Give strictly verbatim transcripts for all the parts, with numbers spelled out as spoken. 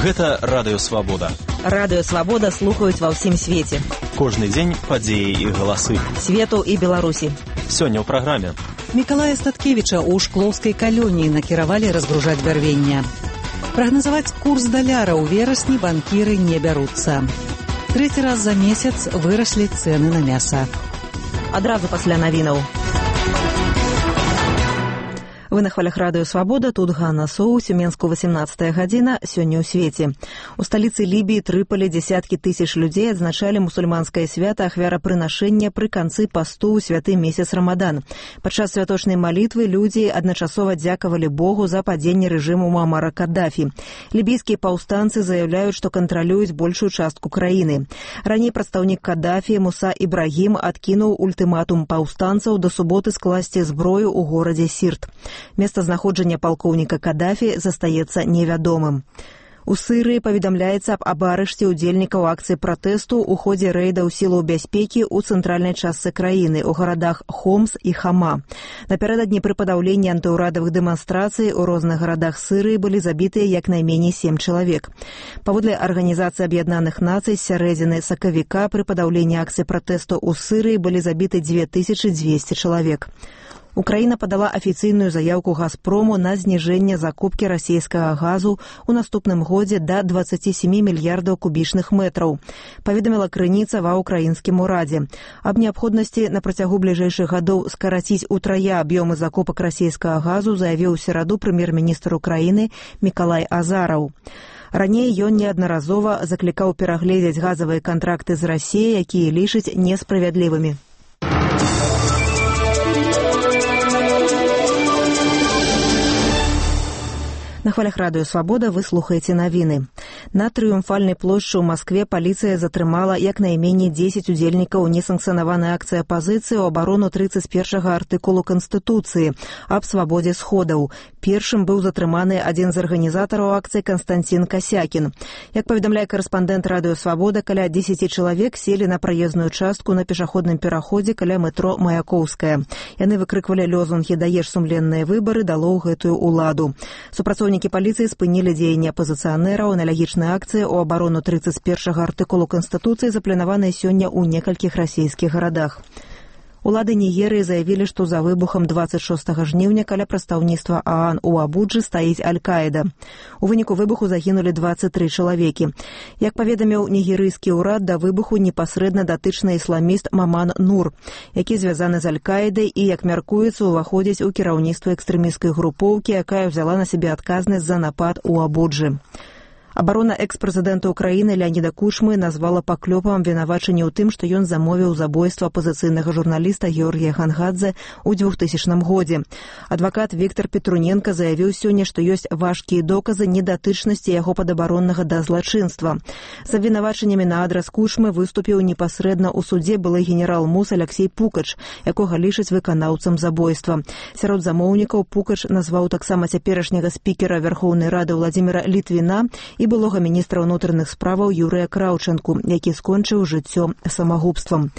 Гэта Радыё Свабода. Радыё Свабода слухаюць ва ўсім свеце. Кожны дзень падзеі і галасы. Свету і Беларусі. Сёння ў праграме. Мікалая Статкевіча ў шклоўскай калоніі накіравалі разгружаць бярвенне. Прагназаваць курс даляра ў верасні банкіры не бяруцца. Трэці раз за месяц выраслі цэны на мяса. Адразу пасля навінаў. Вы на хвалях Радыё Свабода, тут Ганна Соу, Сюменску, восемнадцатая гадзіна, сёння ў свеце. У сталіцы Лібіі Трыполі дзесяткі тысяч людзей адзначалі мусульманскае свята ахвярапрынашэння пры канцы пасту ў святы месяц Рамадан. Падчас святочнай малітвы людзі адначасова дзякавалі Богу за падзенне рэжыму Муамара Каддафі. Лібійскія паўстанцы заяўляюць, што кантралююць большую частку краіны. Раней прадстаўнік Каддафі Муса Ібрагім адкінуў ультыматум паўстанцаў да суботы скласці зброю ў горадзе Сірт. Месцазнаходжанне палкоўніка Каддафі застаецца невядомым. У Сырыі паведамляецца аб арышце ўдзельнікаў акцыі пратэсту ў ходзе рэйдаў сілаў бяспекі ў цэнтральнай частцы краіны, у гарадах Хомс і Хама. Напярэдадні пры падаўленні антыўрадавых дэманстрацый у розных гарадах Сырыі былі забітыя як найменей сем чалавек. Паводле Арганізацыі Аб'яднаных Нацый, з сярэдзіны сакавіка пры падаўленні акцыі пратэсту ў Сырыі былі забіты дзве тысячы дзвесце чалавек. Украіна падала афіцыйную заяўку «Газпрому» на зніжэнне закупкі расійскага газу ў наступным годзе да дваццаці сямі мільярдаў кубічных метраў, паведаміла крыніца ва ўкраінскім урадзе. Аб неабходнасці на працягу бліжэйшых гадоў скараціць утрая аб'ёмы закупак расійскага газу заявіў у сераду прэм'ер-міністр Украіны Мікалай Азараў. Раней ён неаднаразова заклікаў перагледзець газавыя кантракты з Расіяй, якія лічыць несправядлівымі. На хвалях Радыё Свабода вы слухаеце навіны. На Трыумфальнай плошчы ў Маскве паліцыя затрымала як найменей дзесяць удзельнікаў несанкцыянаванай акцыі апазіцыі ў абарону трыццаць першага артыкулу Канстытуцыі аб свабодзе сходаў. Першым быў затрыманы адзін з арганізатараў акцыі Канстанцін Касякін. Як паведамляе карэспандэнт Радыё Свабода, каля дзесяці чалавек селі на праезную частку на пешаходным пераходзе каля метро Маяковская. Яны выкрыквалі лёзунгі «Даеш сумленныя выбары, дало ў гэтую уладу». Супрацоўнікі паліцыі спынілі дзеянні апазіцыянераў. Аналагічныя акцыі ў абарону трыццаць першага артыкулу Канстытуцыі запланаваныя сёння ў некалькіх расійскіх гарадах. Улады Нігерыі заявілі, што за выбухам дваццаць шостага жніўня каля прадстаўніцтва ААН у Абуджы стаіць Аль-Каіда. У выніку выбуху загінулі дваццаць тры чалавекі. Як паведаміў нігерыйскі ўрад, да выбуху непасрэдна датычны ісламіст Маман Нур, які звязаны з Аль-Каідай і, як мяркуецца, уваходзіць у кіраўніцтва экстрэмісцкай групоўкі, якая ўзяла на сябе адказнасць за напад у Абуджы. Абарона экс-прэзідэнта Украіны Леаніда Кучмы назвала паклёпам абвінавачанне ў тым, што ён замовіў забойства апазіцыйнага журналіста Георгія Хангадзе ў двухтысячным годзе. Адвакат Віктор Петруненка заявіў сёння, што ёсць важкія доказы недатычнасці яго падабароннага да злачынства. З абвінавачаннямі на адрас Кучмы выступіў непасрэдна ў судзе былы генерал-мус Аляксей Пукач, якога лічаць выканаўцам забойства. Сярод замоўнікаў Пукач назваў таксама цяперашняга спікера Верхоўнай Рады Владзіміра Літвіна і былога міністра ўнутраных справаў Юрыя Краўчанку, які скончыў жыццё самагубствам.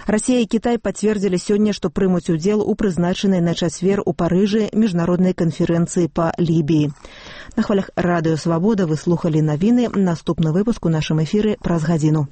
Расія і Кітай пацвердзілі сёння, што прымуць удзел у прызначанай на чацвер у Парыжы міжнароднай канферэнцыі па Лібіі. На хвалях Радыё Свабода вы слухалі навіны. Наступны выпуск у нашым эфіры праз гадзіну.